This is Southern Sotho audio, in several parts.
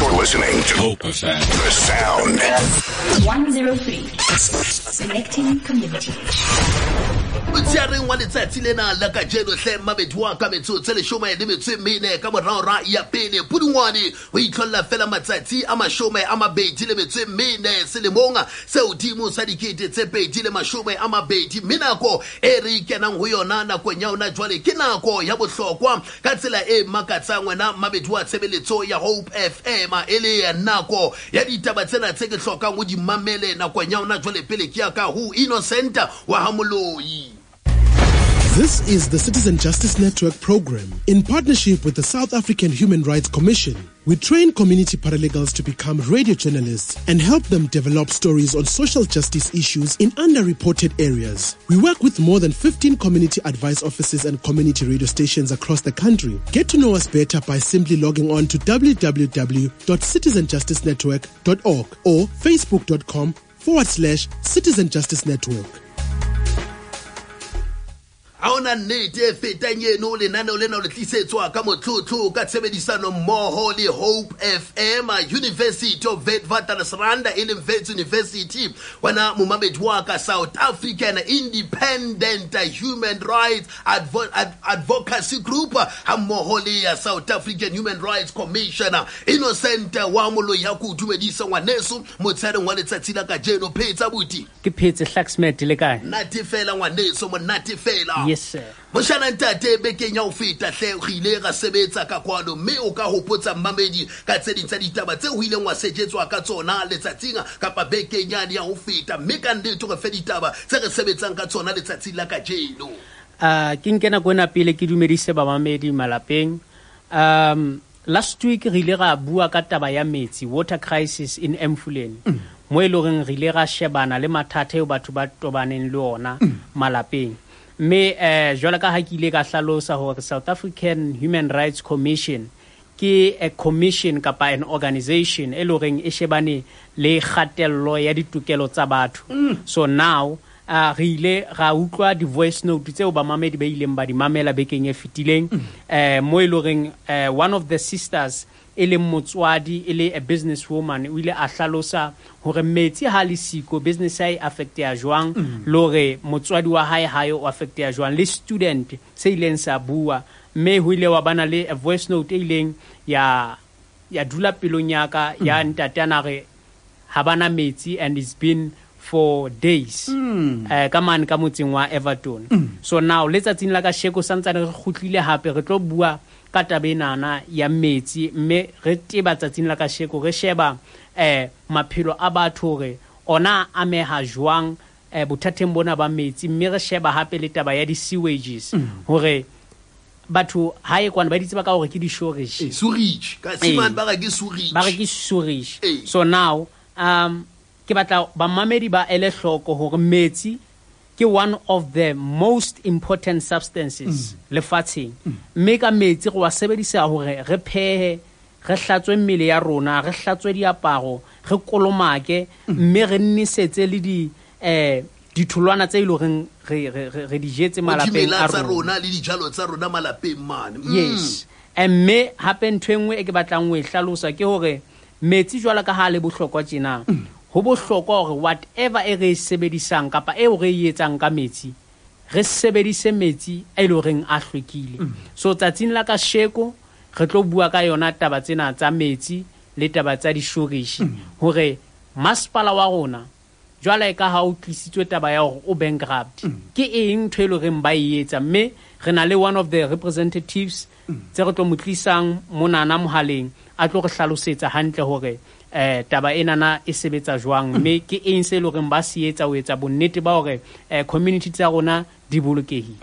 You're listening to Hope FM. The Sound. 103. Connecting community. Motsheareng wa letsatsi lena la kajeno hle mabedi wa ka metsotso e leshome le metso e mene ka morao ra ya pele pudungwane ho itlholla fela matsatsi a 22 le metso e mene selemong se hodimo sa 2020, mme nako e re kenang ho yona nakong ya yona jwale ke nako ya bohlokwa ka tsela e makatsang wena mabedi wa tshebeletso ya Hope FM, e le nako ya ditaba tsena tse ke hlokang ho di mamele nakong ya yona jwale. Pele ke ya ka ho Innocent wa ha Moloi. This is the Citizen Justice Network program in partnership with the South African Human Rights Commission. We train community paralegals to become radio journalists and help them develop stories on social justice issues in underreported areas. We work with more than 15 community advice offices and community radio stations across the country. Get to know us better by simply logging on to www.citizenjusticenetwork.org or facebook.com/Citizen Justice Network. Ha hona nnete e fetang eno. Lenaneo lena o le tlisetswa ka motlotlo ka tshebedisano mmoho le Hope FM, University of Witwatersrand, e leng Wits University, wena momamedi wa ka, South African Independent Human Rights Advocacy Group ha mmoho le ya South African Human Rights Commission. Innocent wa Moloi, ya ko dumedisa ngwaneso motsheareng wa letsatsi la kajeno. Phetsa buti? Ke phetse, Hlaxmet, le kae? Nate fela ngwaneso, monate fela. Yes sir. Moshana ntate, bekeng ya ho feta hle re ile ra sebetsa ka kwano, mme o ka hopotsa mmamedi ka tse ding tsa ditaba tse ho ileng wa sejetswa ka tsona letsatsing kapa bekeng yane ya ho feta, mme ka nnete re fe ditaba tse re sebetsang ka tsona letsatsing la kajeno. Ke nke nako ena pele ke dumedise bamamedi malapeng. Last week re ile ra bua ka taba ya metsi, water crisis in Emfuleni, mo e leng horeng re ile ra shebana le mathata eo batho ba tobaneng le ona malapeng. Mme jwalo ka ha ke ile ka hlalosa hore South African Human Rights Commission ke a commission kapa an organization e leng horeng e shebane le kgatello ya ditokelo tsa batho. So now re ile ra utlwa di-voice note tseo bamamedi ba ileng ba di mamela bekeng e fetileng, mo e leng horeng one of the sisters, e leng motswadi, e le a business woman, o ile a hlalosa hore metsi ha le siko, business ya e affecteya jwang, le hore motswadi wa hae hae o affecteya jwang, le student se ileng sa bua. Mme ho ile wa bana le a voice note e ileng ya dula pelong ya ka, ya ntate ana re ha bana metsi and it's been for days, ka mane ka motseng wa Everton. So now letsatsing la kasheko santsane re kgutlile hape re tlo bua ka taba enana ya metsi, mme re teba tsatsing la kasheko re sheba maphelo a batho hore ona a ameha jwang bothateng bona ba metsi, mme re sheba hape le taba ya di-sewages, hore batho hae kwana ba di tseba ka hore ke di-sewerage. Sewerage ka simane ba re ke sewerage. Ba re ke sewerage. Eh. So now ke batla bamamedi ba ele hloko hore metsi ke one of the most important substances lefatsheng, mme ka metsi re wa sebedisa hore re phehe, re hlatswe mmele ya rona, re hlatswe diaparo, re kolomake, mme re nnisetse le di ditholwana tse e leng horeng re di jetse malapeng dimela a tsa rona. Rona le dijalo tsa rona malapeng mane. Yes. Mme hape ntho e nngwe e ke batlang ho e hlalosa ke hore metsi jwalo ka ha le bohlokwa tjena, ho bohlokwa hore whatever e re e sebedisang kapa eo re e etsang ka metsi, re sebedise metsi a e leng horeng a hlwekile. So tsatsing la kasheko re tlo bua ka yona taba tsena tsa metsi le taba tsa di-sewerage, hore masepala wa rona jwale ka ha o tlisitswe taba ya hore o bankrupt, ke eng ntho e leng horeng ba e etsa. Mme re na le one of the representatives tse re tlo mo tlisang monana mohaleng a tlo re hlalosetsa hantle hore taba enana e sebetsa jwang, mme ke eng se e leng horeng ba se etsa ho etsa bonnete ba hore community tsa rona di bolokehile.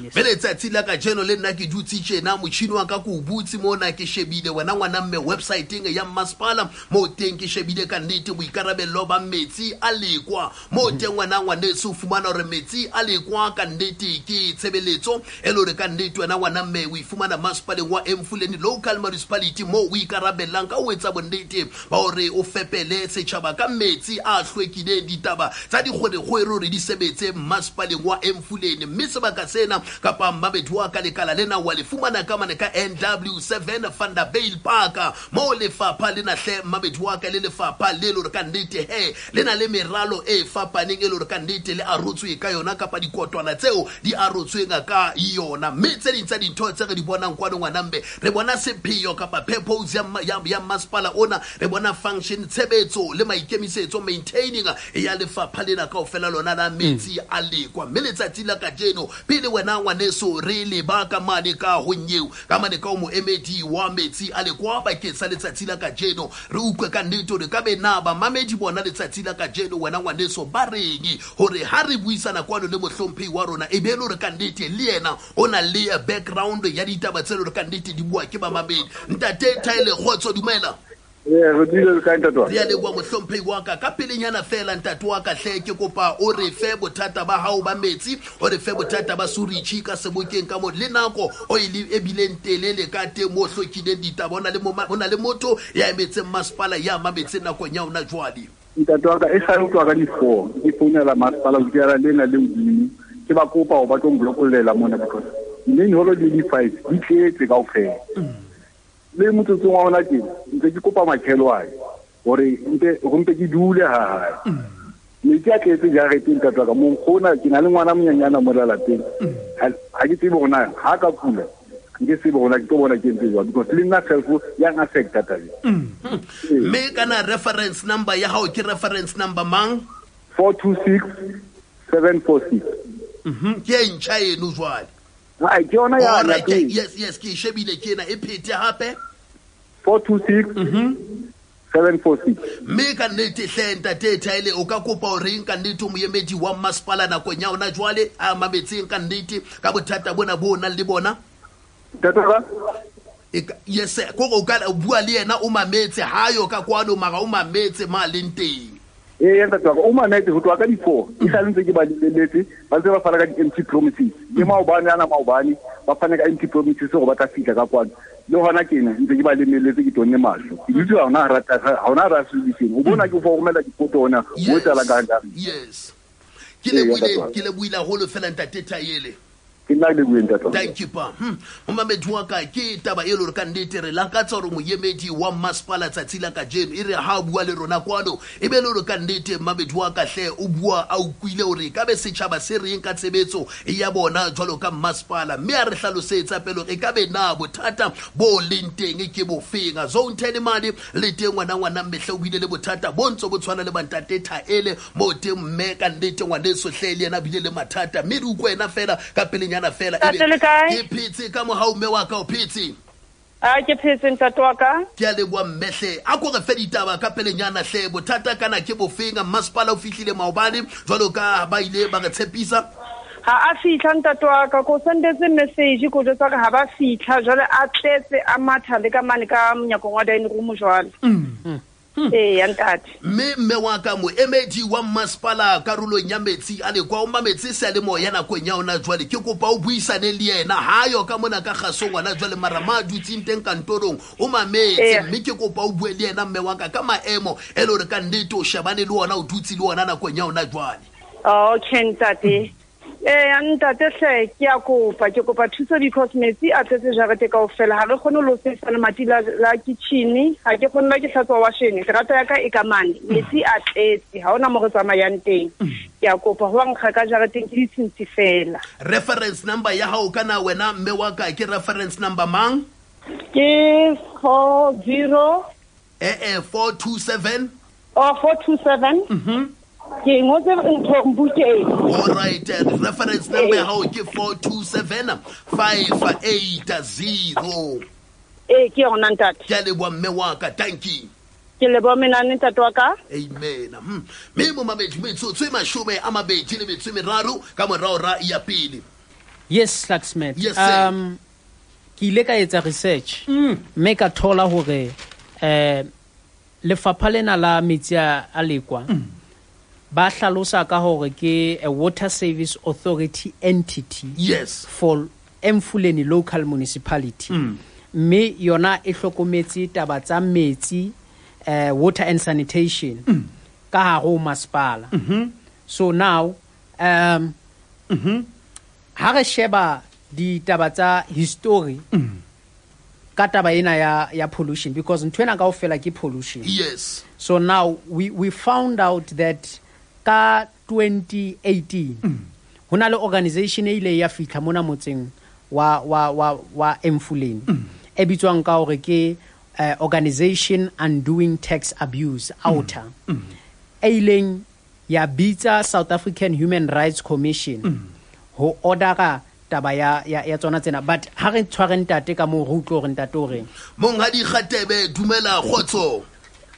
Yes. Mme letsatsi la kajeno le nna ke dutse tjena, motjhini wa ka ke o butse mona, ke shebile wena ngwana mme websiteng ya masepala moo teng, ke shebile ka nnete boikarabello ba metsi a Lekwa moo teng, wena ngwaneso o fumana hore metsi a Lekwa ka nnete ke tshebeletso e le hore ka nnete wena ngwana mme o e fumana masepaleng wa Emfuleni Local Municipality, moo o ikarabellang ka ho etsa bonnete ba hore o fepele setjhaba ka metsi a hlwekileng. Ditaba tsa dikgwerekgwere hore di sebetse masepaleng wa Emfuleni, mme sebaka sena Kapa mmamedi wa ka, lekala lena wa le fumana ka mane ka NW7 Vanderbijl Park, moo lefapha lena hle mmamedi wa ka le lefapha le le hore ka nnete he le na le meralo e fapaneng e le hore ka nnete le arotswe ka yona, kapa dikotwana tseo di arotsweng ka yona. Mme tse ding tsa dintho tse re di bonang kwano ngwanambe, re bona sepheo kapa purpose ya masepala ona, re bona function, tshebetso le maikemisetso, maintaining ya lefapha lena kaofela lona la metsi a Lekwa. Mme letsatsi la kajeno, pele wena ngwaneso re leba ka mane ka ho nyeo, ka mane ka o moemedi wa metsi a Lekwa bakeng sa letsatsi la kajeno, re utlwe ka nnete hore ka be na bamamedi bona letsatsi la kajeno wena ngwaneso ba reng, hore ha re buisana kwano le mohlomphehi wa rona e be le hore ka nnete le yena o na le background ya ditaba tse le hore ka nnete di bua ke bamamedi. Ntate Thaele, kgotso, dumela. Re dule le kae, ntate wa Re a leboha, mohlomphehi wa ka. Ka pelenyana fela, ntate wa ka hle, ke kopa o re fe bothata ba hao ba metsi, o re fe bothata ba suritšhi ka sebokeng ka mo le nako o e e bileng telele ka teng mo hlokileng ditaba. O na le o na le motho ya emetseng masepala ya mametseng nakong ya ona jwale. Ntate wa ka, e sale ho tloha ka di-4 ke founela masepala ho dikela lena le hodimo, ke ba kopa hore ba tlo nblokollela mona because main hall le di-five di tletse kaofela. Le motsotsong wa hona tjena ntse ke kopa makhelwane hore mpe ho mpe ke dule ha hae. Metsi a tletse jareteng, ntate wa ka. Monkgona ke na le ngwana monyenyana mo lapeng, ha ke tsebe hore na ha ka kula, nke tsebe hore na ke tlo bona ke entse jwang because le nna self yang affecta tabeng. Mme kana reference number ya hao ke reference number mang? 426746. Ke e ntjha eno jwale? Ai, ke yona ya Alright, pele. Yes, ke e shebile ke ena, e phete hape. 426746. Mme ka nnete hle, ntate Thaele, o ka kopa horeng ka nnete o moemedi wa masepala nakong ya ona jwale a mametseng ka nnete ka bothata bona bo o nang le bona? Ntate wa ka? Yes, kore o ka bua le yena o mametse, hayo ka kwano mara o mametse ma leng teng. Ee, ntate wa ka, o mametse ho tloha ka di-4 e sale ntse ke ba lebeletse, ba ntse ba fana ka di-empty promises. Le maobane ana, maobane ba fana ka empty promises hore ba tla fihla ka kwano. Le hona tjena ntse ke ba lebeletse, ke tonne mahlo, ke dutse hona hona hara solution. O bona ke o fa romela difoto hona ho etsahala ka hare. Yes, ke Ee, lebohile. ntate wa ka. Ke lebohile haholo fela, ntate Thaele. Ke nna le bueng, ntate wa ka. Thank you pa. Momamedi wa ka, ke taba e le hore ka nnete re lakatsa hore moemedi wa masepala tsatsi la kajeno e re ha a bua le rona kwano e be le hore ka nnete mmamedi wa ka hle o bua a utlwile hore ka be setjhaba se reng ka tshebetso ya bona jwalo ka masepala, mme a re hlalosetsa pele hore e ka be na bothata bo leng teng ke bofeng. Zone 10 mane le teng ngwana ngwana mmehle o bile le bothata bo ntso bo tshwana le bantate Thaele mo teng, mme ka nnete ngwaneso hle le yena a bile le mathata, mme re utlwe yena fela ka pelenyana fela. Ntate, le kae? Ke phetse ka mohau, mme wa ka, o phetse? A ke phetse, ntate wa ka. Ke a leboha, mmehle. A ko re fe ditaba ka pelenyana hle, bothata kana ke bofeng? Masepala o fihlile maobane jwalo ka ba ile ba re tshepisa? Ha a fihla, ntate wa ka, ko sendetse message ko jwetsa hore ha ba fihla jwale a tletse a matha le ka mane ka monyakong wa dining room jwale. Ee, ya ntate. Mme wa ka, moemedi wa masepala karolong ya metsi a Lekwa o mametse seyalemoya nakong ya ona jwale, ke kopa o buisane le yena. Hayo ka mona ka kgasong ngwana jwale, mara ma dutseng teng kantorong o mametse. Mme ke kopa o bue le yena, mme wa ka, ka maemo e le hore ka nnete o shebane le ona, o dutse le ona nakong ya ona jwale. Okay, ntate. Ee, ntate hle, ke a kopa, ke kopa thuso because metsi a tletse jarete kaofela. Ha re kgone ho sebedisa lemati la kitchen, ha ke kgone la ke hlatswa washene, terata ya ka e ka mane, metsi a tletse, ha hona mo re tsamayang teng. Ke a kopa ho nkga ka jareteng ke ditshintshi fela. Reference number ya hao kana wena mme wa ka ke reference number mang? Ke 40 427. Oh, 427. Ke ngotse ntho bukeng. All right, reference number ya hao ke 427580. Ee, ke yona, ntate. Ke a leboha, mme wa ka, thank you. Ke leboha menane, ntate wa ka. Amen. Mme momamedi, metsotso e 23 ka morao ra ya pele. Yes, Luxmet. Yes, sir. Ke ile ka etsa research mme ka thola hore lefapha lena la metsi a Lekwa ba hlalosa ka hore ke a Water Service Authority entity for Emfuleni local municipality. Mme yona e hlokometse taba tsa metsi, water and sanitation ka hare ho masepala. So now, Ha re sheba ditaba tsa history ka taba ena ya pollution, because ntho ena kaofela ke pollution. Yes. So now we found out that ka 2018 ho na le organization e ile ya fihla mona motseng wa Emfuleni e bitswang ka hore ke Organization Undoing Tax Abuse, OUTA, e ileng ya bitsa South African Human Rights Commission ho ordera taba ya tsona tsena. But ha re tshware ntate ka moo, re utlwe hore ntate o reng. Monghadi Kgatebe, dumela, kgotso.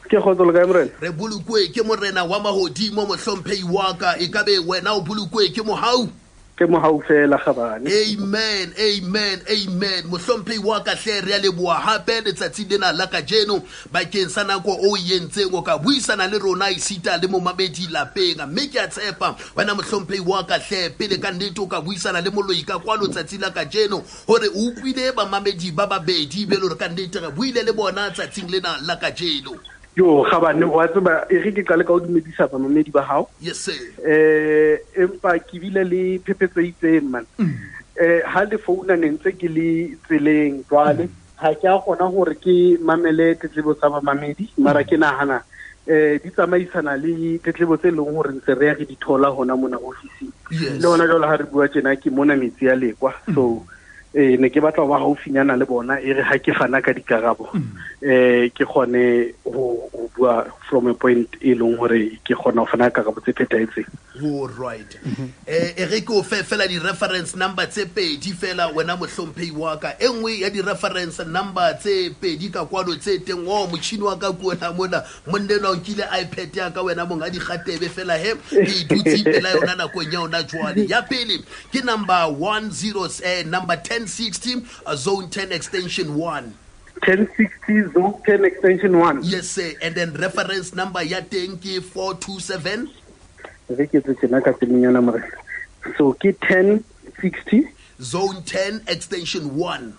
Ke kgotso, le kae, morena? Re bolokwe ke morena wa mahodimo, mohlomphehi wa ka. E ka be wena o bolokwe ke mohau? Ke mohau fela, kgabane. Amen, amen, amen. Mohlomphehi wa ka hle, re a leboha hape letsatsi lena la kajeno bakeng sa nako o entseng o ka buisana le rona esita le momamedi lapeng. Mme ke a tshepa wena mohlomphehi wa ka hle, pele ka nnete o ka buisana le moloi ka kwano tsatsi la kajeno, hore o utlwile bamamedi ba babedi be le hore ka nnete re buile le bona tsatsing lena la kajeno. Yo, kgabane, wa tseba, e re ke qale ka ho dumedisa bamamedi ba hao. Yes sir. Empa ke bile le phephetso e itseng, man. Ha le founa ne ntse ke le tseleng jwale, ha ke a kgona hore ke mamele tletlebo tsa bamamedi, mara ke nahana di tsamaisana le tletlebo tse leng hore ntse re ya re di thola hona mona ofising. Yes. Le hona jwale ha re bua tjena ke mona metsi a Lekwa. So ne ke batla ho ba haufinyana le bona, e re ha ke fana ka dikarabo, ke kgone ho bua from a point e leng hore ke kgona ho fana ka karabo tse phethahetseng. All right. E re ke o fe fela di-reference number tse pedi fela wena mohlomphehi wa ka. E nngwe ya di-reference number tse pedi ka kwano tse teng, o motjhini wa ka ke ona mona, monna enwa o nkile iPad ya ka wena monghadi Kgatebe fela he, ke e dutse pela yona nakong ya yona jwale. Ya pele ke number 10, number 1060, zone 10 extension 1. 1060 zone 10 extension 1. Yes sir. And then reference number ya teng ke 427. Re ke tse tjena ka pelenyana morena. So ke 1060 zone 10 extension 1.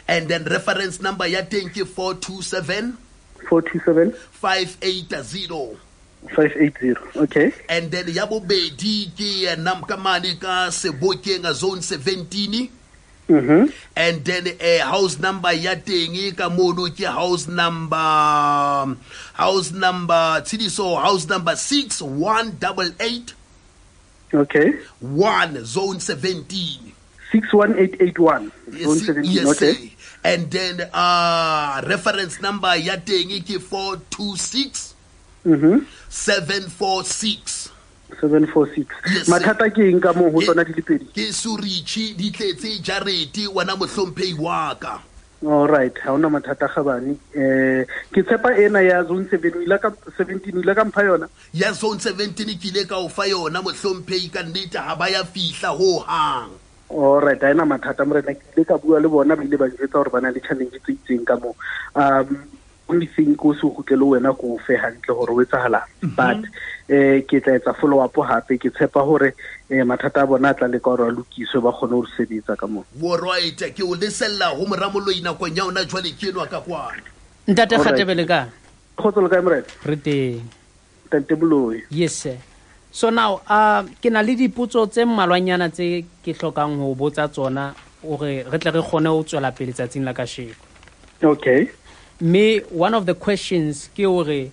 And then reference number ya teng ke 427 427 580. 580. Okay. And then ya bobedi ke namkamane ka Sebokeng zone 17. And then house number ya teng ka mono ke house number Tshidiso, house number 6188. Okay. 1 zone 17. 61881. Yes, Zone 17. yes, Okay. sir. And then reference number ya teng ke 426 746. 746. Yes, sir. Mathata ke eng ka moo ho tsona di le pedi? Ke surichi di tletse jarete wena mohlomphehi wa ka. All right, ha hona mathata kgabane. Ke tshepa ena ya zone 7 o ile ka 17 o ile ka mpha yona. Ya zone 17 ke ile ka o fa yona mohlomphehi, ka nnete ha ba ya fihla ho hang. All right, ha ena mathata morena, ke ile ka bua le bona, ba ile ba njwetsa hore ba na le challenge tse itseng ka moo. Only thing ko se kgutlele wena ko fe hantle hore o etsahalang. But ke tla etsa follow up hape, ke tshepa hore mathata a bona a tla leka hore a lokiswe, ba kgone ho sebetsa ka moo. All right, ke o lesella ho moramoloi nakong ya hona jwale ke enwa ka kwana. Ntate All right. Kgatebe le kae? Kgotso le kae morena? Re teng. Ntate Moloi. Yes sir. So now ke na le dipotso tse mmalwanyana tse ke hlokang ho botsa tsona hore re tle re kgone ho tswela pele tsatsing la kasheko. Okay. Mme one of the questions ke hore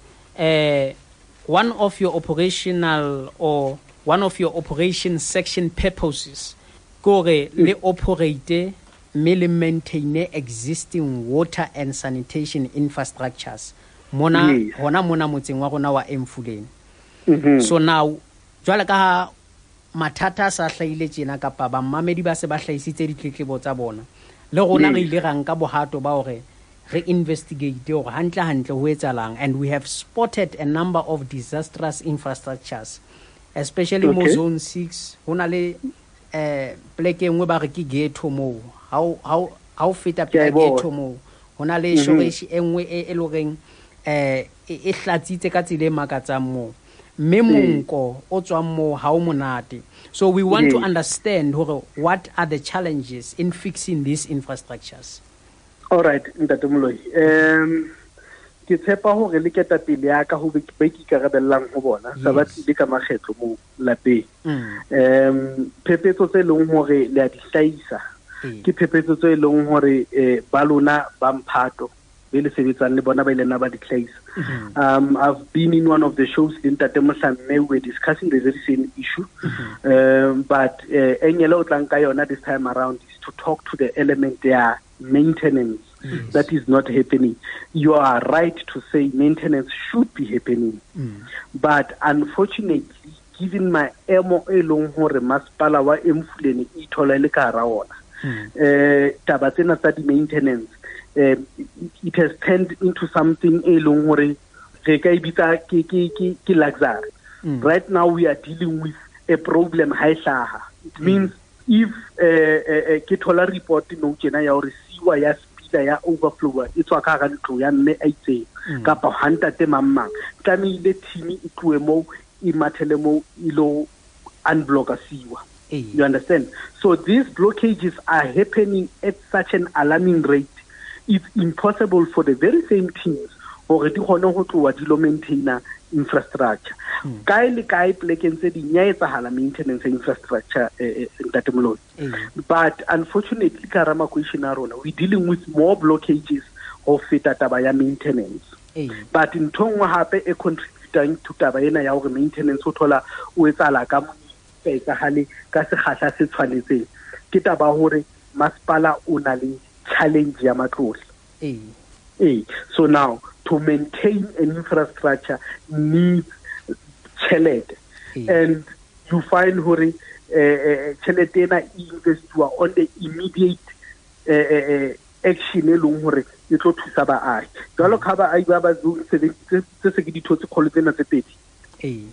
one of your operational or one of your operation section purposes ke hore le operate mme le maintain existing water and sanitation infrastructures mona, Yes. hona mona motseng wa rona wa Emfuleni. So now jwale ka ha mathata a sa hlahile tjena kapa bamamedi ba se ba hlahisitse ditletlebo tsa bona, le rona re Yes. ile ra nka bohato ba hore re investigate hore hantle hantle ho etsahalang, and we have spotted a number of disastrous infrastructures, especially mo Okay. zone 6. Ho na le pleke e nngwe ba re ke ghetto moo. Ha o feta Ke a e pela bona. ghetto moo, ho na le shoreshi e nngwe e leng horeng, e hlatsitse ka tsela e makatsang moo. Mme monko o tswang moo ha o monate. So we want to understand hore what are the challenges in fixing these infrastructures. All right, Ntate Moloi. Ke tshepa hore le ketapele ya ka ho ba ke ikarabellang ho bona sa ba tlile ka makgetlo mo lapeng. Phephetso tse leng hore le a di hlahisa ke phephetso tse leng hore ba lona ba mphato be le sebetsang le bona ba ile na ba di hlahisa. I've been in one of the shows le Ntate Mohlamme, we were discussing the very same issue. But engele o tlang ka yona this time around is to talk to the element ya maintenance. That is not happening. You are right to say maintenance should be happening. But unfortunately, given maemo e leng hore masepala wa Emfuleni e ithola le ka hara ona, taba tsena tsa di-maintenance, it has turned into something e leng hore re ka e bitsa ke luxury. Right now we are dealing with a problem ha e hlaha. It means if ke thola report nou tjena ya hore sewer ya spila ya overflow e tswa ka hara ntlo ya mme a itseng kapa ha ntate mang mang, tlamehile team e tlohe moo e mathele moo e lo unblock sewer. You understand? So these blockages are happening at such an alarming rate. It's impossible for the very same teams hore di kgone ho tloha di lo maintainer infrastructure. Kae le kae plekeng tse ding ya etsahala maintenance infrastructure, Ntate Moloi. But unfortunately ka hara makeishene a rona we dealing with more blockages ho feta taba ya maintenance. But ntho nngwe hape e contributang to taba ena ya hore maintenance o thola o etsahala ka etsahale ka sekgahla se tshwanetseng ke taba hore masepala o na le challenge ya matlole. So now to maintain an infrastructure needs tjhelete. And you find hore tjhelete ena e investiwa on the immediate action e leng hore e tlo thusa baahi. Jwalo ka baahi ba ba zone 7 tse se ke ditho tse kgolo tsena tse pedi.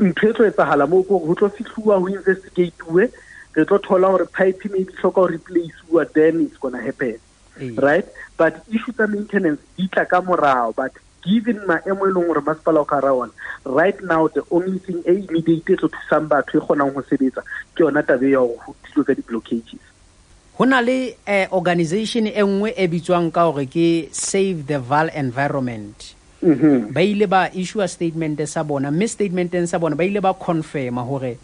Ntho e tlo etsahala moo ke hore ho tlo fihluwa ho investigate-uwe, re tlo thola hore pipe maybe hloka ho replace-uwa, then it's gonna happen. Right? But issue tsa maintenance di tla ka morao, but given maemo e leng hore masepala o ka hara ona right now, the only thing e immediate e tlo thusang batho e kgonang ho sebetsa ke yona taba ya hore ho thilwe ka di-blockages. Ho na le organization e nngwe e bitswang ka hore ke Save the Vaal Environment. Ba ile ba issue a statement sa bona, mme statementeng sa bona ba ile ba confirma hore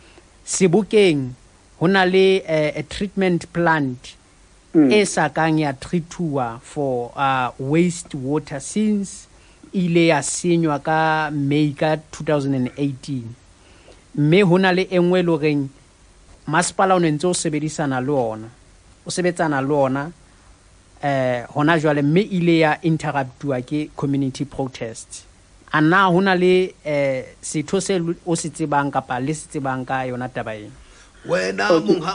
Sebokeng ho na le a treatment plant e sa kang ya treatuwa for waste water since ile ya senywa ka May ka 2018. Mme ho na le e nngwe e le horeng masepala o ne ntse o sebedisana le ona, o sebetsana le ona hona jwale, mme ile ya interruptuwa ke community protests. A na ho na le setho se o se tsebang kapa le se tsebang ka yona taba ena? Wena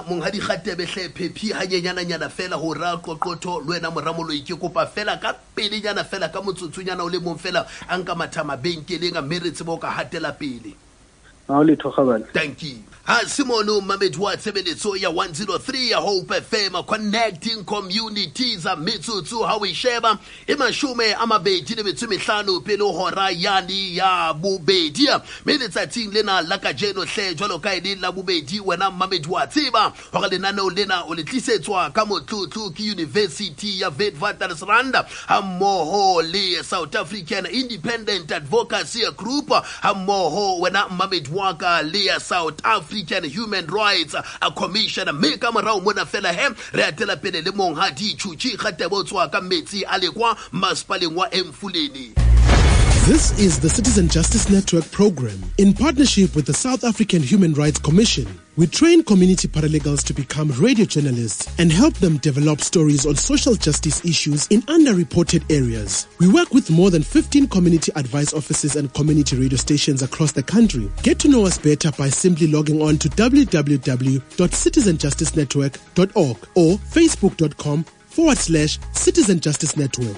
monghadi Kgatebe hle phephi hanyenyana fela ho ra qoqotho le wena moramoloi, ke kopa fela ka pelenyana fela ka motsotsunyana o le mong fela a nka matha mabenkeleng a mme re tsebe ho ka hatela pele. Ha o letho kgabane. Thank you. Ha Simone Mamedi wa tshebeletso ya 103 ya Hope FM connecting communities a metsotso ha o e sheba e 25 pele hora yani ya bobedi. Mme letsatsing lena la kajeno hle jwalo ka e le la bobedi, wena Mamedi wa tseba hore lenaneo lena o le tlisetswa ka motlotlo ke University ya Witwatersrand ha mmoho le South African Independent Advocacy Group ha mmoho wena Mamedi wa ka le ya South African Human Rights Commission. Mme ka morao mona fela he re atela pele le monghadi Tjhutjhi Kgatebe o tswa ka metsi a lekwa masepaleng wa Emfuleni. This is the Citizen Justice Network program in partnership with the South African Human Rights Commission. We train community paralegals to become radio journalists and help them develop stories on social justice issues in underreported areas. We work with more than 15 community advice offices and community radio stations across the country. Get to know us better by simply logging on to www.citizenjusticenetwork.org or facebook.com/Citizen Justice Network.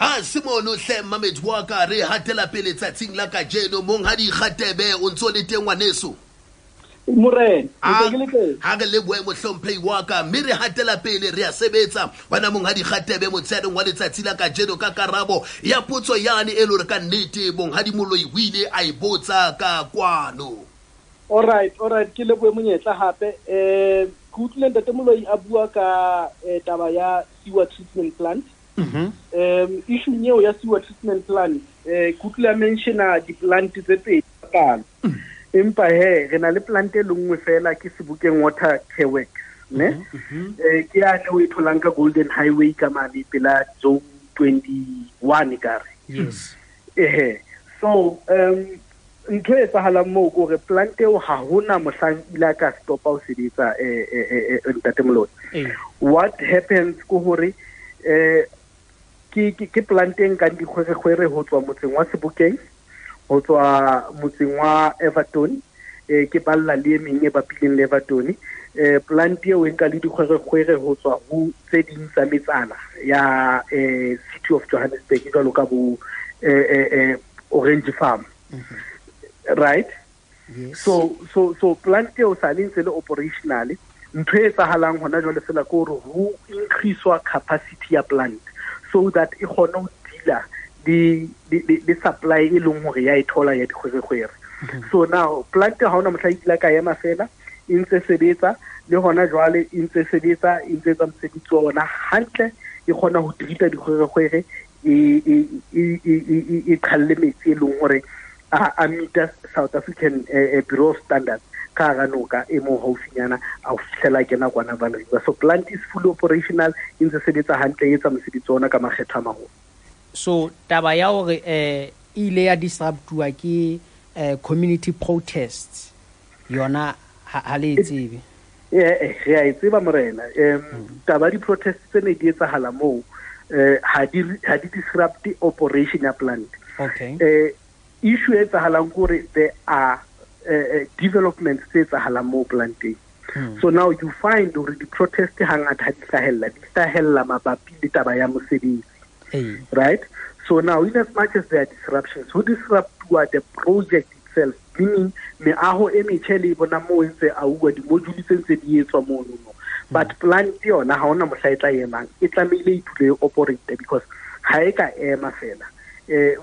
Ha Simone hle Mamedi wa ka re hatela pele tsatsing la kajeno, monghadi Kgatebe o ntso le teng ngwaneso? Morena, ntse ke le teng. Ha re le boemo hlomphehi wa ka, mme re hatela pele re a sebetsa. Wena monghadi Kgatebe motsheaneng wa letsatsi la kajeno ka karabo ya potso yane e le hore ka nnete monghadi Moloi o ile a e botsa ka kwano. All right, all right, ke lebohe monyetla hape. Ke utlwile Ntate Moloi a bua ka taba ya sewer treatment plant. Issue eo ya sewer treatment plant, ke utlwile a mentiona di-plant tse pedi palo. Empa he re na le plant e le nngwe fela, ke Sebokeng Water Care Works, ne? Ke yane o e tholang ka Golden Highway ka mane pela zone 21 kare. Yes. Ehe. So ntho e etsahalang moo ke hore plant eo ha hona mohlang ile ka stopa ho sebetsa, ntate Moloi. What happens ke hore ke plant e nkang dikgwerekgwere ho tswa motseng wa Sebokeng, ho tswa motseng wa Everton, ke balla le e meng e bapileng le Everton. Plant eo e nka le dikgwerekgwere ho tswa ho tse ding tsa metsana ya City of Johannesburg, jwalo ka bo Orange Farm. Right? Yes. So plant eo sa le ntse le operational. Ntho e etsahalang hona jwale fela ke hore ho increase-wa capacity ya plant so that e kgone ho deala le supply e leng hore ya e thola ya dikgwerekgwere. So now plant ha hona mohla e kile ka ema fela, e ntse sebetsa le hona jwale, e ntse sebetsa, e ntse etsa mosebetsi wa ona hantle, e kgona ho treat-a dikgwerekgwere, e qhalle metsi e leng hore a meet-a South African Bureau of Standards ka hara noka e mo haufinyana a ho fihlela kena kwana Vaal River. So plant is fully operational, e ntse sebetsa hantle, e etsa mosebetsi wa ona ka makgetho a maholo. So taba ya hore e ile ya disruptuwa ke community protests yona ha le e tsebe? Re a e tseba morena. Taba di-protest tse ne di etsahala moo, ha di disrupt operation ya plant. Okay. Issue e etsahalang ke hore there are developments tse etsahalang moo planteng. So now you find hore di-protest hangata ha di hlahella, di hlahella mabapi le taba ya mosebetsi. Right? So now, in as much as there are disruptions, ho disruptuwa the project itself, meaning meaho e metjha le e bona moo e ntse auwa, di-module tse ntse di etswa mono no. But plant yona ha hona mohla e tla emang, e tlamehile e dule e operate because ha e ka ema fela,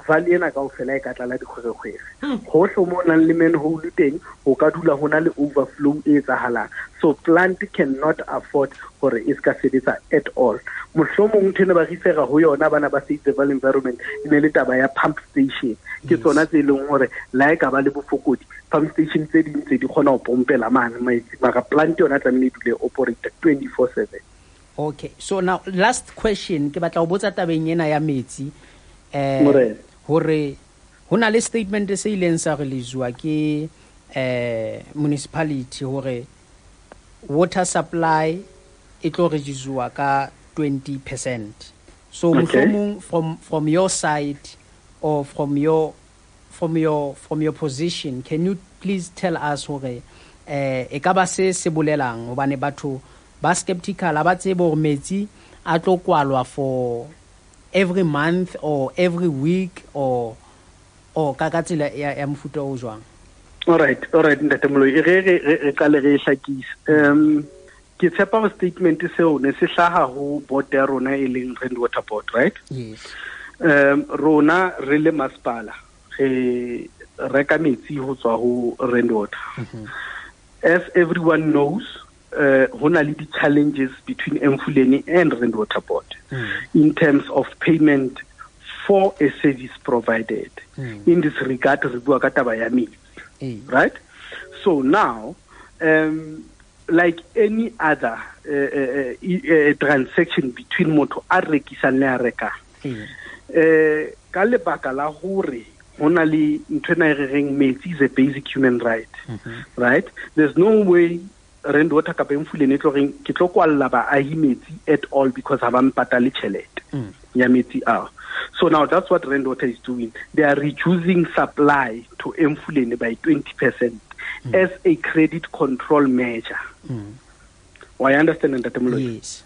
valley ena kaofela e ka tlala dikgwerekgwere. Hohle mo nang le manhole teng, ho ka dula ho na le overflow e etsahalang. So plant cannot afford hore e ska sebetsa at all. Mohlomong ntho ene ba refera ho yona bana ba Save the Vaal Environment, e ne le taba ya pump station. Ke tsona tse leng hore la e ka ba le bofokodi, pump station tse ding tse di kgona ho pompela mane metsi, mara plant yona tlamehile e dule operate 24/7. Okay, so now last question, ke batla ho botsa tabeng ena ya metsi. Morena. Hore ho na le statement se ileng sa release-wa ke municipality hore water supply e tlo reduce-wa ka 20%. So mohlomong from your side or from your position, can you please tell us hore e ka ba se se bolelang, hobane batho ba skeptical, ha ba tsebe hore metsi a tlo kwalwa for every month or every week or ka ka tsela ya mofuta o jwang? All right, Ntate Moloi, re qale re hlakise. Ke tshepa hore statement seo ne se hlaha ho board ya rona e leng Rand Water Board, right? Yes. Rona re le masepala re reka metsi ho tswa ho Rand Water. As everyone knows, ho na le di-challenges between Emfuleni and Rand Water Board in terms of payment for a service provided. In this regard, re bua ka taba ya metsi, right? So now, like any other transaction between motho a rekisang le a rekang, ka lebaka la hore ho na le ntho ena e re reng metsi is a basic human right, right? There's no way Rand Water kapa Emfuleni e tlo reng ke tlo kwalla baahi metsi at all because ha ba mpatale tjhelete ya metsi ao. So now that's what Rand Water is doing. They are reducing supply to Emfuleni by 20% as a credit control measure. Well, I understand, Ntate Moloi? Yes.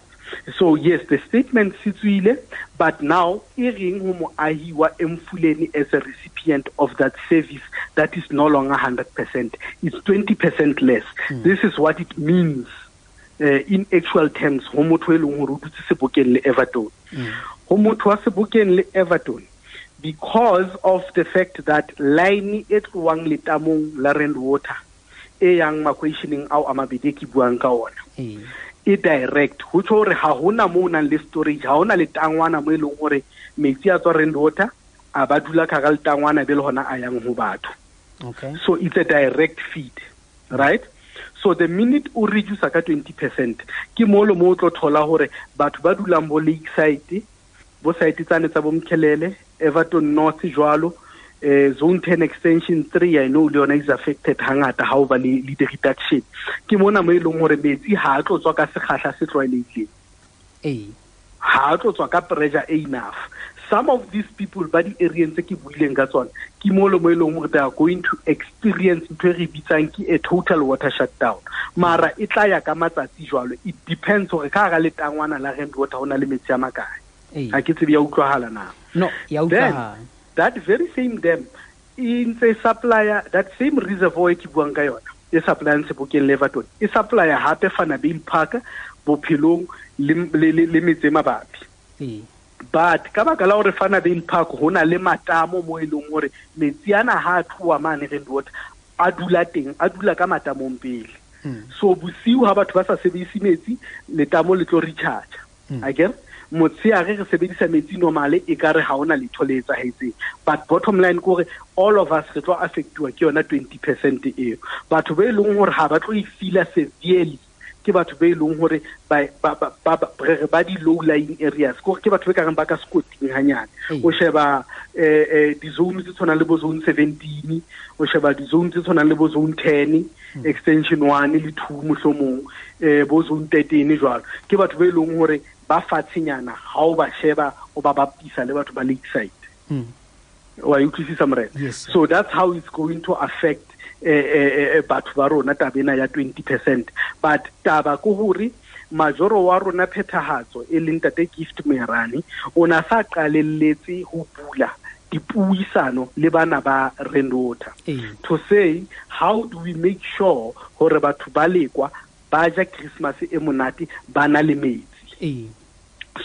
So yes, the statement se tswile, but now e reng ho moahi wa Emfuleni as a recipient of that service that is no longer 100%, it's 20% less. This is what it means in actual terms ho motho e leng hore o dutse Sebokeng le Everton. Ho motho wa Sebokeng le Everton, because of the fact that line e tlohang letamong la Rand Water e yang makweisheneng ao a mabedi ke buang ka ona, e E direct, ho tjho hore ha hona mo nang le storage, ha hona letangwana mo e leng hore metsi a tswa Rand Water a ba dula ka hara letangwana be le hona a yang ho batho. Okay. So it's a direct feed, right? So the minute o reduce ka 20%, ke mo le mo o tlo thola hore batho ba dulang bo Lakeside, bo site tsane tsa bo Mkhelele, Everton North jwalo, zone 10 extension 3, I know le yona is affected hangata ha o ba le the reduction. Ke mona mo e leng hore metsi ha a tlo tswa ka sekgahla se tlwaelehileng. Ha a tlo tswa ka pressure e enough. Some of these people ba di areas tse ke buileng ka tsona, ke mo le mo e leng hore they are going to experience ntho e re bitsang ke a total water shutdown. Mara e tla ya ka matsatsi jwalo, it depends hore ka hara letangwana la Rand Water ho na le metsi a makae. Ha ke tsebe ya utlwahala na. No, ya utlwahala. Then, that very same dam e ntse supplier, that same reservoir e ke buang ka yona, e supplyang Sebokeng le Everton, e supplier hape Vanderbijl Park, Bophelong le metse e mabapi. But ka baka la hore Vanderbijl Park ho na le matamo mo e leng hore metsi ana ha a tloha mane Rand Water a dula teng, a dula ka matamong pele. So bosiu ha batho ba sa sebedise metsi, letamo le tlo recharge. Akere motshehare re sebedisa metsi normale, e ka re ha hona letho le etsahetseng. But bottom line ke hore all of us re tlo affectuwa ke yona 20% eo. Batho ba e leng hore ha ba tlo e feela severely ke batho ba e leng hore ba di low lying areas, ke hore ke batho ba ka reng ba ka sekoting hanyane. O sheba di-zone tse tshwanang le bo zone 17, o sheba di-zone tse tshwanang le bo zone 10, extension 1 le 2 mohlomong, bo zone 13 jwalo. Ke batho ba e leng hore ba fatshenyana ha o ba sheba o ba bapisa le batho ba Lakeside. Wa utlwisisa morena? Yes, sir. So that's how it's going to affect batho ba rona taba ena ya 20%. But taba ke hore majoro wa rona phethahatso e leng Ntate Gift Moerane o na sa qalelletse ho bula dipuisano le bana ba Rand Water. To say how do we make sure hore batho ba Lekwa ba ja Christmas e monate ba na le metsi.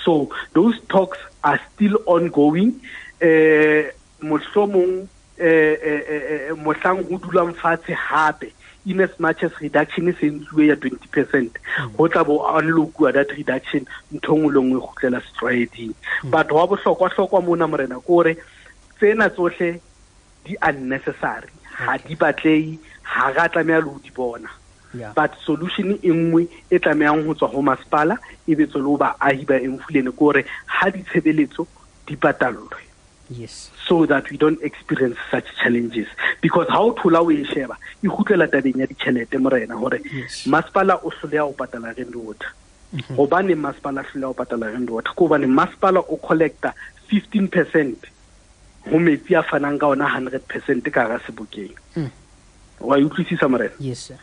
So those talks are still ongoing. Mohlomong mohlang ho dulang fatshe hape, in as much as reduction e sentsuwe ya 20%, ho tla bo unlock-uwa that reduction, ntho e nngwe le nngwe e kgutlela setlwaeding. But wa bohlokwa-hlokwa mona morena ke hore tsena tsohle di unnecessary, ha di batlehe, ha ra tlameha le ho di bona. But solution e nngwe e tlamehang ho tswa ho masepala e be tswe le ho baahi ba Emfuleni ke hore ha ditshebeletso di patallwe. Yes. So that we don't experience such challenges. Because ha o thola o e sheba, e kgutlela tabeng ya ditjhelete morena hore masepala o hloleha ho patala Rand Water. Hobane masepala hloleha ho patala Rand Water, ke hobane masepala o collecta 15% ho metsi a fanang ka ona 100% ka hara Sebokeng. Wa e utlwisisa morena? Yes, sir.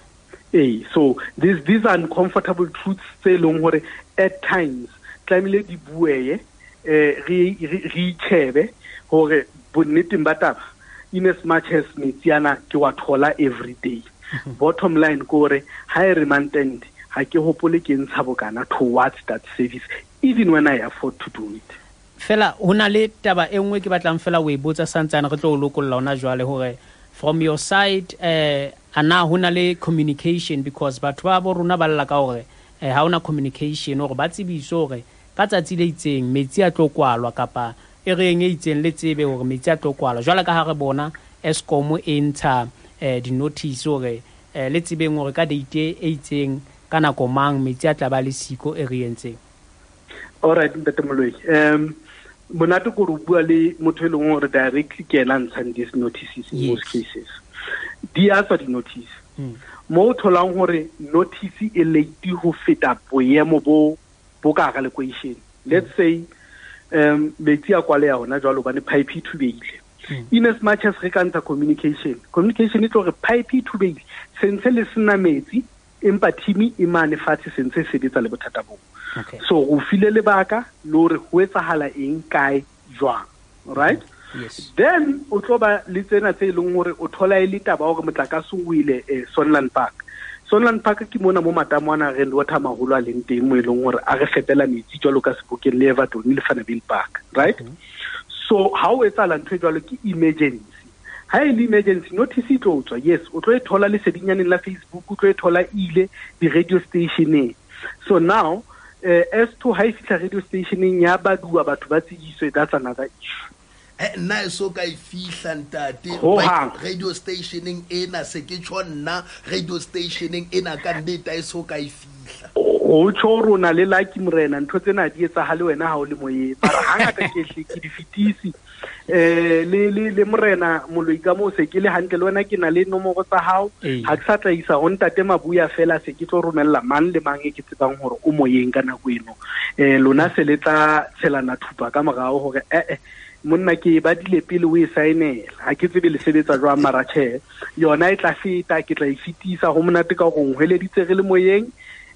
So these are uncomfortable truths tse leng hore at times tlamehile di bueye, re itjhebe hore bonneteng ba taba, in as much as metsi ana ke wa thola every day. Bottom line ke hore ha e re month-end, ha ke hopole ke ntsha bokana towards that service, even when I afford to do it. Fela ho na le taba e nngwe ke batlang fela o e botsa santsane re tlo o lokolla hona jwale hore from your side, ana ho na le communication, because batho ba bo rona ba lla ka hore ha hona communication hore ba tsebiswe hore ka tsatsi le itseng metsi a tlo kwalwa kapa e reng e itseng le tsebe hore metsi a tlo kwalwa. Jwale ka ha re bona Eskom e ntsha di-notice hore le tsebeng hore ka date e itseng ka nako mang metsi a tla ba le siko e re entseng. All right, Ntate Moloi. Monate ke hore o bua le motho e leng hore directly ke yena a ntshang these notices in most cases. Di a tswa di-notice. Mo o tholang hore notice e late ho feta boemo bo ka hara lekweishene. Let's say metsi a kwaleha hona jwalo hobane pipe e thubehile. In as much as re ka ntsha communication, communication e tlo re pipe e thubehile, sentse le sena metsi, empa team e mane fatshe sentse e sebetsa le bothata boo. So o file lebaka le hore ho etsahala eng kae jwang, right? Yes. Then o tlo ba le tsena tse leng hore o thola e le taba hore motlakase o ile Sunland Park. Sunland Park ke mona mo matamo ana Rand Water maholo a leng teng mo e leng hore a re fepela metsi jwalo ka Sebokeng le Everton le Vanderbijl Park, right? So ha o etsahala ntho e jwalo ke emergency. Ha e le emergency notice e tlo tswa, yes, o tlo e thola lesedinyaneng la Facebook, o tlo e thola ile di-radio stationeng. So now as to ha e fihla radio stationeng ya baduwa batho ba tsebiswe, that's another issue. Nna e so ka e fihla ntate radio stationeng ena, se ke tjho nna radio stationeng ena ka nnete e so ka e fihla. O tjho rona le lucky morena, ntho tsena di etsahale wena ha o le moyeng, mara hangata ke hle ke di fetisi. Le morena Moloi ka moo se ke le hantle le wena, ke na le nomoro tsa hao, ha ke sa tla isa ho ntate Mabuya fela, se ke tlo romella mang le mang e ke tsebang hore o moyeng ka nako eno. Lona se le tla tshelana thupa ka morao hore monna ke badile pele o e saenela, ha ke tsebe le sebetsa jwang, mara tjhe yona e tla feta, ke tla e fetisa. Ho monate ka hore nhweleditse re le moyeng,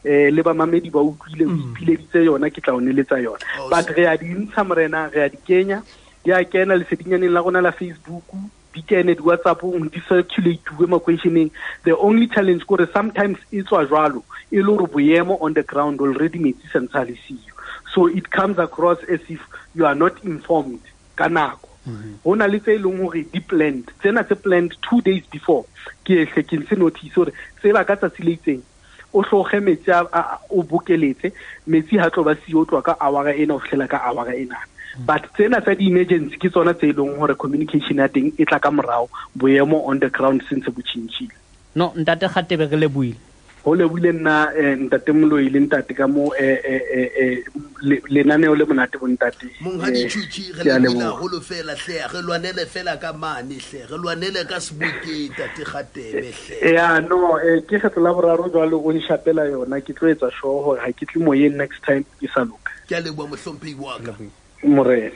le bamamedi ba utlwile, o ipileditse yona, ke tla o neletsa yona. But re a di ntsha morena, re a di kenya, di a kena lesedinyaneng la rona la Facebook, di kene di WhatsApp-ong, di circulate-uwe makeisheneng. The only challenge ke hore sometimes e tswa jwalo, e le hore boemo on the ground already metsi sa ntse a le siyo. So it comes across as if you are not informed ka nako. Ho na le tse e leng hore di planned, tsena tse planned 2 days before, ke hle ke ntse notice hore tseba ka tsatsi le itseng o hloge metsi a o bokeletse metsi ha tlo ba siyo, o tloha ka hour ena ho fihlela ka hour ena. But tsena tsa di-emergency ke tsona tse e leng hore communication ya teng e tla ka morao, boemo on the ground sentse bo tjhentjhile. No, ntate Kgatebe, re lebohile. Ho lebohile nna ntate Moloi le ntate ka mo lenaneo le monate bo ntate. Monghadi Tjhutjhi, re lebohile haholo fela hle, re lwanele fela ka mane hle, re lwanele ka sebokeng ntate Kgatebe hle. Ya no, ke kgetlo la boraro jwale o nshapela yona, ke tlo etsa sure hore ha ke tle moyeng next time ke sa loka. Ke a leboha mohlomphehi wa ka. Morena.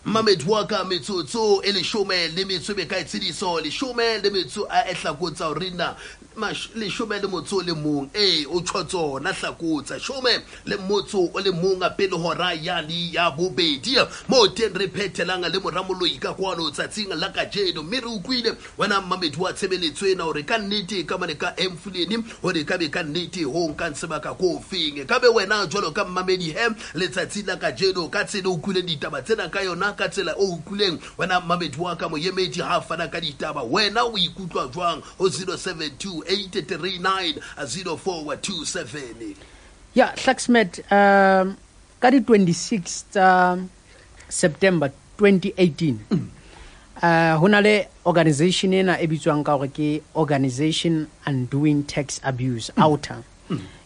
Mamedi wa ka, metsotso e 18 e ka tshediso, 18 a e hlakotsa hore na 11 o tjho tsona hlakotsa 11 a pele hora ya le ya bobedi, mo teng re phethelang le mora Moloi ka kwano tsatsing la kajeno. Mme re utlwile wena mamedi wa tshebeletso ena hore ka nnete ka mane ka Emfuleni hore ka be ka nnete ho nkang sebaka ko feng, ka be wena jwalo ka mmamedi he letsatsi la kajeno ka tsela o utlwileng ditaba tsena ka yona, ka tsela o utlwileng wena mamedi wa ka moemedi ha fana ka ditaba, wena o ikutlwa jwang ho 072 839 0427? Ya Hlaxmet, ka di 26 tsa September 2018, ho na le organization ena e bitswang ka hore ke Organization Undoing Tax Abuse, OUTA.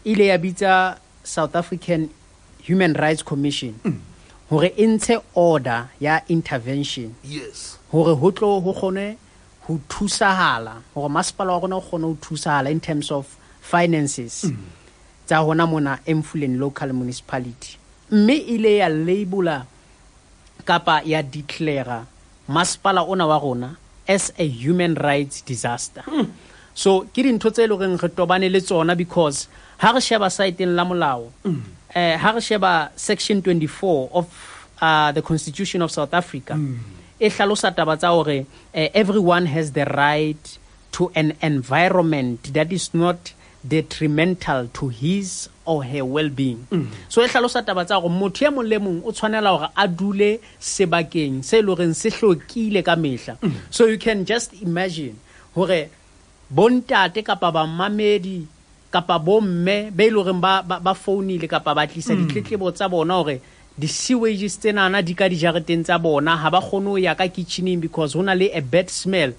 Ile ya bitsa South African Human Rights Commission hore e ntshe order ya intervention. Yes. Hore ho tlo ho kgone ho thusahala, hore masepala wa rona o kgone ho thusahala in terms of finances tsa hona mona Emfuleni Local Municipality. Mme ile ya labela kapa ya declare masepala ona wa rona as a human rights disaster. So ke dintho tse leng re tobane le tsona, because ha re sheba saeteng la molao, ha re sheba section 24 of the Constitution of South Africa, e hlalosa taba tsa hore everyone has the right to an environment that is not detrimental to his or her well-being. So e hlalosa taba tsa hore motho e mong le mong o tshwanela hore a dule sebakeng se leng hore se hlokile ka mehla. So you can just imagine hore bontate kapa bamamedi kapa bomme be leng hore ba founile kapa ba tlisa ditletlebo tsa bona hore di-sewages tsenana di ka dijareteng tsa bona, ha ba kgone ho ya ka kitcheneng because ho na le a bad smell.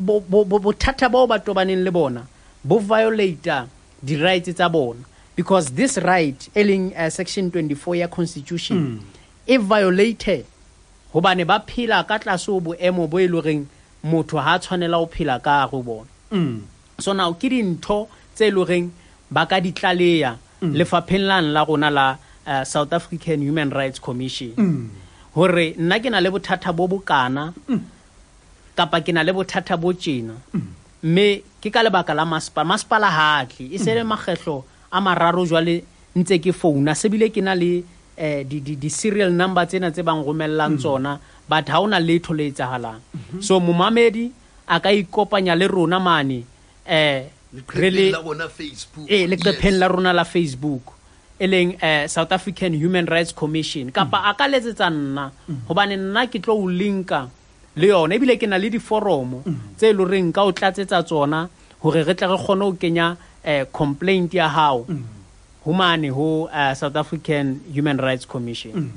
Bothata bao ba tobaneng le bona bo violate di-rights tsa bona, because this right e leng section 24 ya constitution e violated hobane ba phela ka tlase ho boemo bo e leng horeng motho ha tshwanela ho phela ka hare ho bona. So now ke dintho tse leng horeng ba ka di tlaleha lefapheng la rona la South African Human Rights Commission, hore nna ke na le bothata bo bokana kapa ke na le bothata bo tjena, mme ke ka lebaka la masepala. Masepala ha a tle, e se le makgetlo a mararo jwale ntse ke founa, se bile ke na le di serial number tsena tse bang romellang tsona, but ha hona letho le etsahalang. So momamedi a ka ikopanya le rona mane leqepheng la rona Facebook, leqepheng la rona la Facebook e leng South African Human Rights Commission, kapa a ka letsetsa nna, hobane nna ke tlo o linka le yona, ebile ke na le diforomo tse leng horeng ka o tlatsetsa tsona hore re tle re kgone ho kenya complaint ya hao ho mane ho South African Human Rights Commission.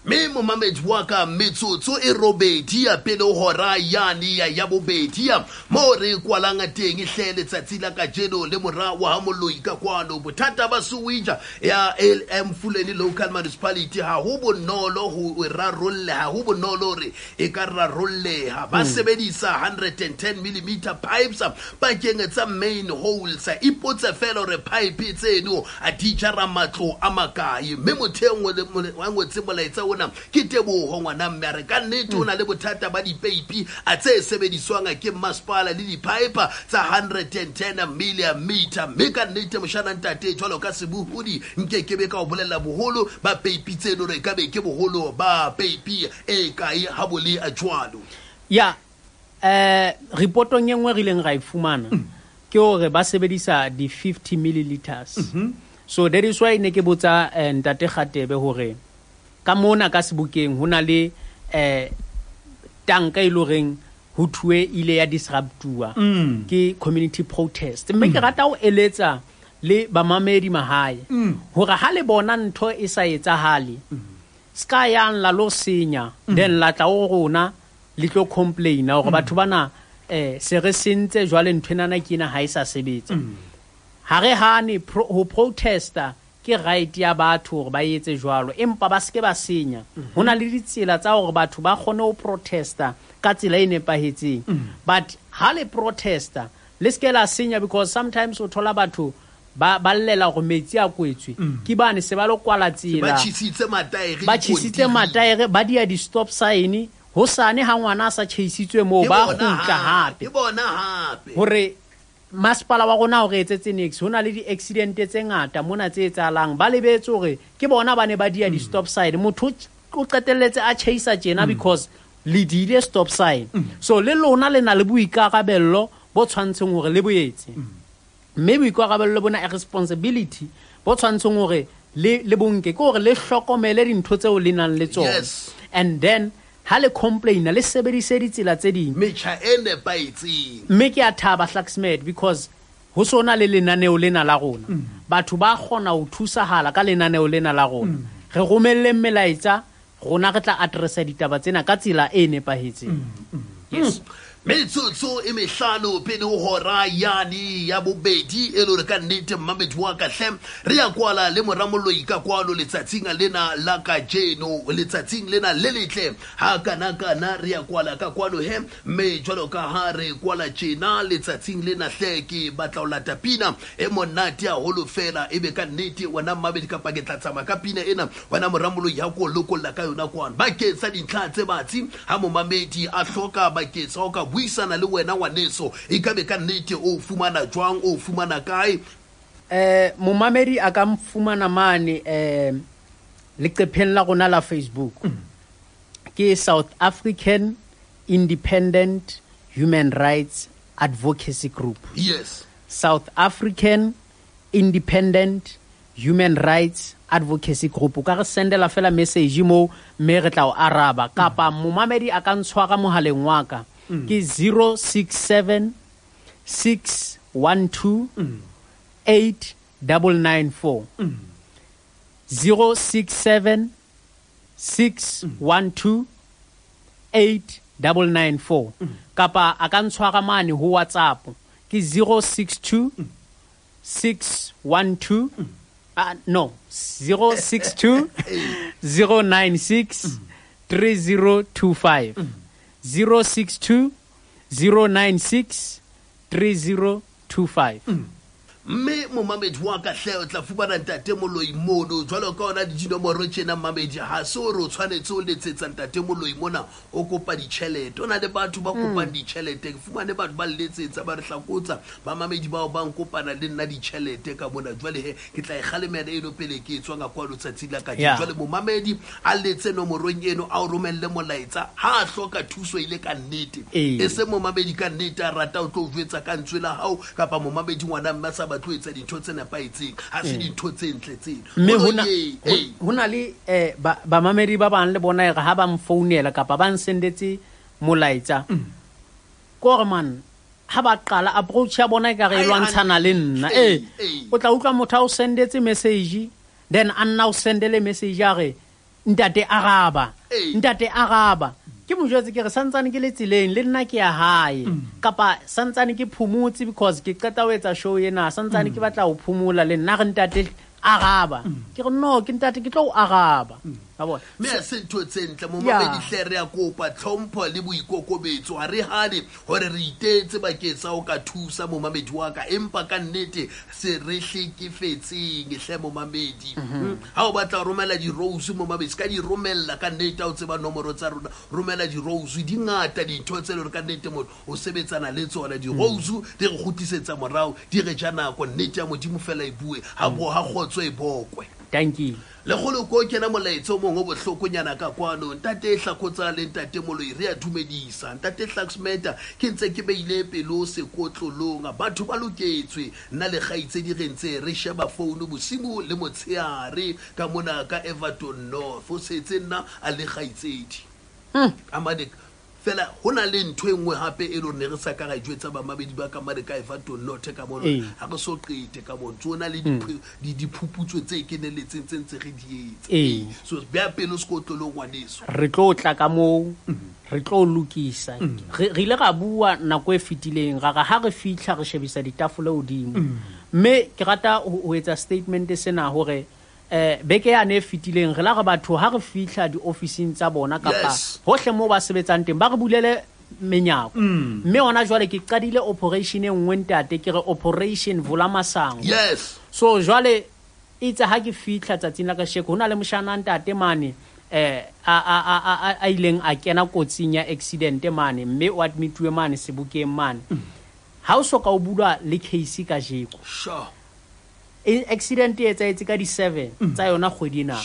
Mme momamedi wa ka, metsotso e robedi ya pele ho hora yane ya ya bobedi ya moo re kwalang teng hle letsatsi la kajeno le mora wa ha Moloi ka kwano. Bothata ba sewage ya Emfuleni Local Municipality ha ho bonolo ho e rarolle, ha ho bonolo hore e ka rarolleha. Ba sebedisa 110 millimeter pipes pakeng tsa main holes. Ipotse fela hore pipe tseno a di jara matlo a makae. Mme motho e nngwe le wa ngotse molaetsa ona ke Teboho ngwana mme, a re ka nnete o na le bothata ba dipeipi a tse sebediswang ke masepala le di-pipe tsa 110 millimeter. Mme ka nnete moshana ntate, jwalo ka sebohodi nke ke be ka o bolella boholo ba peipi tseno re ka be ke boholo ba peipi e kae ha bo le jwalo. Ya reportong e nngwe re ileng ra e fumana ke hore ba sebedisa di 50 milliliters. So that is why ne ke botsa ntate Kgatebe hore ka mona ka sebokeng ho na le tanka e le horeng ho thuwe ile ya disruptuwa ke community protest. Mme ke rata ho eletsa le bamamedi mahae hore ha le bona ntho e sa etsahale, ska yang la lo senya, then la tla ho rona le tlo complaina hore batho bana se re sentse jwale ntho enana ke ena ha e sa sebetsa. Ha re hane ho protesta ke right ya batho hore ba etse jwalo, empa ba seke ba senya. Ho na le ditsela tsa hore batho ba kgone ho protesta ka tsela e nepahetseng. But ha le protesta le seke la senya, because sometimes o thola batho ba llela hore metsi a kwetswe. Ke bane se ba lo kwala tsela, ba tjhisitse mataere, ba tjhisitse mataere, ba dia di stop sign. Hosane ha ngwana a sa tjheisitswe moo, ba kgutla hape. Ke bona hape hore masepala wa rona o re etsetse niks. Ho na le di-accident tse ngata mona tse etsahalang, ba lebetse hore ke bona ba ne ba dia di-stop sign. Motho o qetelletse a tjheisa tjena because le diile stop sign. So le lona le na le boikarabello bo tshwantseng hore le bo etse. Mme boikarabello bona a responsibility bo tshwantseng hore le bonke, ke hore le hlokomele dintho tseo le nang le tsona. And then ha le complaina le sebedise ditsela tse ding, metjha e nepahetseng. Mme ke a thaba Hlaxmed because ho sona le lenaneo lena la rona. Batho ba kgona ho thusahala ka lenaneo lena la rona. Re romelleng melaetsa, rona re tla addressa ditaba tsena ka tsela e nepahetseng. Yes. Metsotso e mehlano pele ho hora yane ya bobedi e le hore ka nnete mmamedi wa ka hle re ya kwala le mora Moloi ka kwano letsatsing lena la kajeno, letsatsing lena le letle ha kana kana re ya kwala ka kwano he. Mme jwalo ka ha re kwala tjena letsatsing lena hle ke batla ho lata pina e monate haholo fela, ebe ka nnete wena mmamedi kapa ke tla tsamaya ka pina ena wena mora Moloi ha ko lokolla ka yona kwano bakeng sa dintlha tse batsi ha momamedi a hloka bakeng sa ho ka buisana le wena ngwaneso, e ka be ka nnete o fumana jwang, o fumana kae? Momamedi a ka mfumana mane leqepheng la rona la Facebook. Ke South African Independent Human Rights Advocacy Group. Yes. South African Independent Human Rights Advocacy Group. O ka re sendela fela message moo mme re tla o araba. Kapa momamedi a ka ntshwara mohaleng wa ka. Ke 067 612 8994. 067 612 8994. Kapa a ka ntshwara mane ho WhatsApp ke 062 612 no 062 096 3025. 062 096 3025. Mme momamedi wa ka hle o tla fumana ntate Moloi mono jwalo ka ona dinomoro tjena mmamedi, ha se hore o tshwanetse o letsetsa ntate Moloi mona o kopa ditjhelete. O na le batho ba kopang ditjhelete, ke fumane batho ba letsetsa ba re hlakotsa bamamedi bao ba nkopana le nna ditjhelete ka mona. Jwale he ke tla e kgalemela eno pele ke tswa nga kwano tsatsi la kajeno. Jwale momamedi a letse nomorong eno a o romelle molaetsa ha a hloka thuso ile ka nnete. E se momamedi ka nnete a rata o tlo o jwetsa ka ntswe la hao kapa momamedi ngwana mme a sa batle ho etsa dintho tse nepahetseng, ha se dintho tse ntle tseno. Mme ho na le bamamedi ba bang le bona e re ha ba mfounela kapa ba nsendetse molaetsa, ke hore man Ha ba qala approach ya bona e ka re e lwantshana le nna. Ee, o tla utlwa motho a o sendetse message, then a nna o sendele message a re ntate araba, ntate araba. Ke mo jwetse ke re santsane ke le tseleng le nna ke ya hae, kapa santsane ke phomotse because ke qeta ho etsa show ena, santsane ke batla ho phomola le nna, re ntate araba. Ke re no, ke ntate ke tlo o araba. Wa bona? Mme ha se ntho tse ntle, momamedi hle, re a kopa tlhompho le boikokobetso. Ha re hane hore re itetse bakeng sa ho ka thusa momamedi wa ka, empa ka nnete se re hlekefetseng hle momamedi. Ha o batla ho romela di-rose momamedi, se ka di romella ka nnete, ha o tseba nomoro tsa rona, romela di-rose. Di ngata dintho tse leng hore ka nnete motho o sebetsana le tsona. Di-rose di re kgutlisetsa morao, di re ja nako. Nnete ya Modimo fela e bue, ha bo ha kgotso e bokwe. Thank you. Lekgolo ko kena molaetsa o mong o bohlokonyana ka kwano. Ntate Hlakotsa le ntate Moloi, re a dumedisa. Ntate Hlaksmeta, ke ntse ke beile pelo sekotlolong. Batho ba loketswe. Nna le kgaitsedi re ntse re sheba founu bosibu le motshehare ka mona ka Everton North. O setse nna a le kgaitsedi. A mane fela ho na le ntho e nngwe hape e le hore ne re sa ka ra e jwetsa bamamedi ba ka mane ka Everton North ka mono. Ha re so qete ka mono. Tsona le diphuputso tse keneletseng tse ntse re di etsa. So beha pelo sekotlolong ngwaneso. Re tlo tla ka moo, re tlo lokisa. Re ile ra bua nako e fetileng, ra re ha re fihla re shebisa ditafole hodimo. Mme ke rata ho etsa statement sena hore beke yane e fetileng re la re batho ha re fihla diofising tsa bona kapa hohle moo ba sebetsang teng ba re bulele menyako. Mme hona jwale ke qadile operation e nngwe ntate, ke re operation Vula Masango. So jwale itse ha ke fihla tsatsing la kasheko, ho na le moshana ntate mane, a ileng a kena kotsing ya accident mane, mme o admituwe mane sebokeng mane. Ha o soka o bulwa le case kajeko. Accident e etsahetse ka di-7 tsa yona kgwedi ena.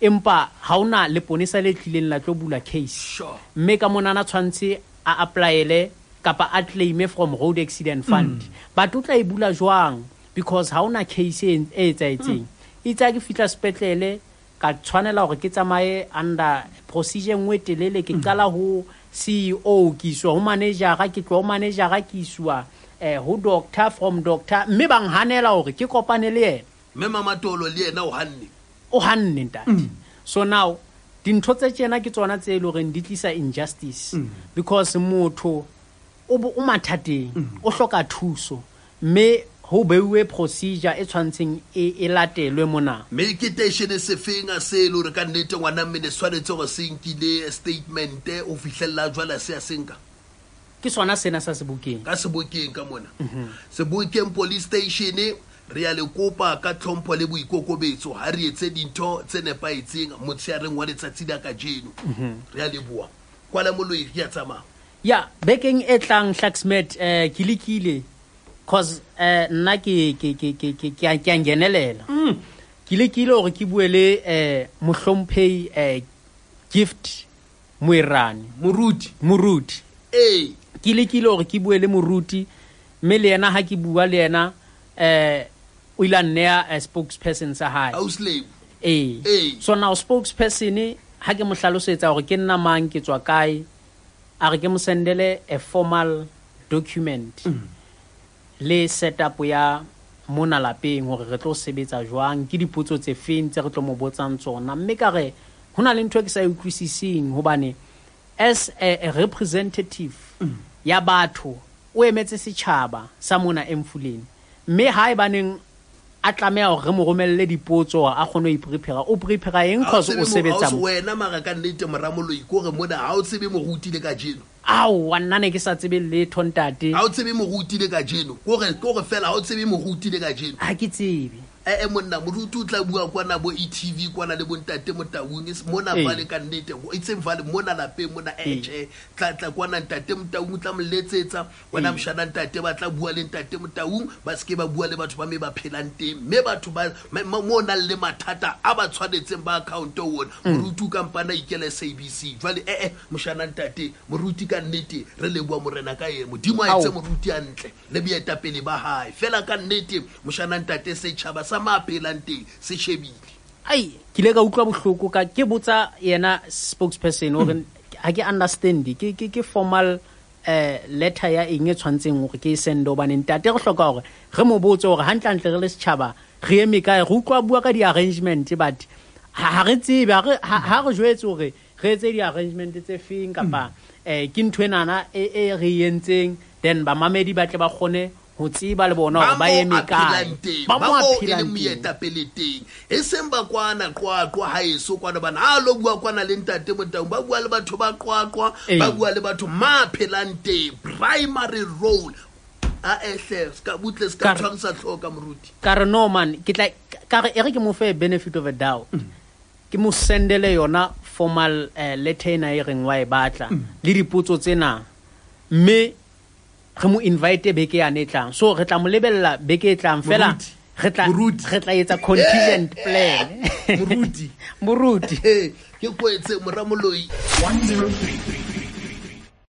Empa ha hona leponesa le tlileng la tlo bula case. Mme ka monana tshwantse a applyele kapa a claime from road accident fund. But o tla e bula jwang? Because ha hona case e etsahetseng. Itse ha ke fihla sepetlele ka tshwanela hore ke tsamaye under procedure e nngwe telele, ke qala ho CEO, ke iswa ho manager-a, ke tloha ho manager-a, ke iswa ho doctor, from doctor, mme ba nhanela hore ke kopane le yena. Mme Mamatolo le yena o hanne. O hanne ntate. So now dintho tse tjena ke tsona tse e leng hore di tlisa injustice. Because motho o mathateng, o hloka thuso, mme ho beuwe procedure e tshwantseng e latelwe mona. Mme ke station se feng a se le hore ka nnete ngwana mme ne tshwanetse hore se nkile statement o fihlella jwale se a senka? Ke sona sena sa Sebokeng. Ka Sebokeng ka mona. Sebokeng police station re ya le kopa ka tlhompho le boikokobetso ha re etse dintho tse nepahetseng motsheareng wa letsatsi la kajeno. Re ya leboha. Kwala Moloi re ya tsamaya. Ya, bekeng e tlang Hlaksmet, ke lekile cause nna ke ke a ngenelela. Ke lekile hore ke bue le mohlomphehi Gift Moerane. Moruti. Moruti. Ke lekile hore ke bue le moruti, mme le yena ha ke bua le yena, o ile a nneha spokesperson sa hae. Ausley. So now spokesperson ha ke mo hlalosetsa hore ke nna mang, ke tswa kae, a re ke mo sendele a formal document. Le setup ya mona lapeng hore re tlo sebetsa jwang, ke dipotso tse feng tse re tlo mo botsang tsona. Mme ka re ho na le ntho e ke sa e utlwisising, hobane as a representative ya batho, o emetse setjhaba sa mona Emfuleni, mme ha e baneng a tlameha hore re mo romelle dipotso hore a kgone ho iprepare, o prepare eng? Cause o sebetsa mo. Wena mara ka nnete moramoloi ko re mona ha o tsebe moruti le kajeno. Aowa, nna ne ke sa tsebe letho ntate. Ha o tsebe moruti le kajeno. Ko re fela ha o tsebe moruti le kajeno. Ha ke tsebe. Monna moruti o tla bua kwana bo ETV kwana le bontate Motaung, mona vale ka nnete, e tseng vale mona lapeng mona, tjhe, tla tla kwana ntate Motaung, o tla mo letsetsa, wena moshana ntate ba tla bua le ntate Motaung, ba seke ba bua le batho ba me ba phelang teng, mme batho ba mo nang le mathata a ba tshwanetseng ba account ona, moruti o kampana ikele SABC. Jwale moshana ntate moruti ka nnete re leboha morena ka yena, Modimo a etse moruti hantle le boetapele ba hae. Fela ka nnete moshana ntate setjhaba sa mapelang teng se shebile. Ai, ke ile ka utlwa bohloko ka ke botsa yena spokesperson hore ha ke understand, ke formal Letter ya eng e tshwantseng gore ke e sende, hobane ntate re hloka hore re mo botse hore hantlentle re le setjhaba re eme kae. Re utlwa bua ka di-arrangement, but ha re tsebe, ha re jwetse hore re etse di-arrangement tse feng, kapa ke ntho enana e re entseng, then bamamedi ba tle ba kgone ho tseba le bona hore ba eme kae, ba mo a phelang moetapele teng, e seng ba kwana Qwaqwa haeso kwana bana ha lo bua kwana le ntate Motaung, ba bua le batho ba Qwaqwa, ba bua le batho ma phelang teng. Primary role a ehle ska butle ska tshwarisa tlhoka moruti. Ka re no man, ke tla ka re e re ke mo fe benefit of a doubt, ke mo sendele yona formal letter ena e reng wa e batla le dipotso tsena, mme re mo invite beke yane e tlang. So re tla mo lebella beke e tlang fela, re tla etsa contingent plan. Moruti. Moruti. Ke kwetse mora moloi. 103.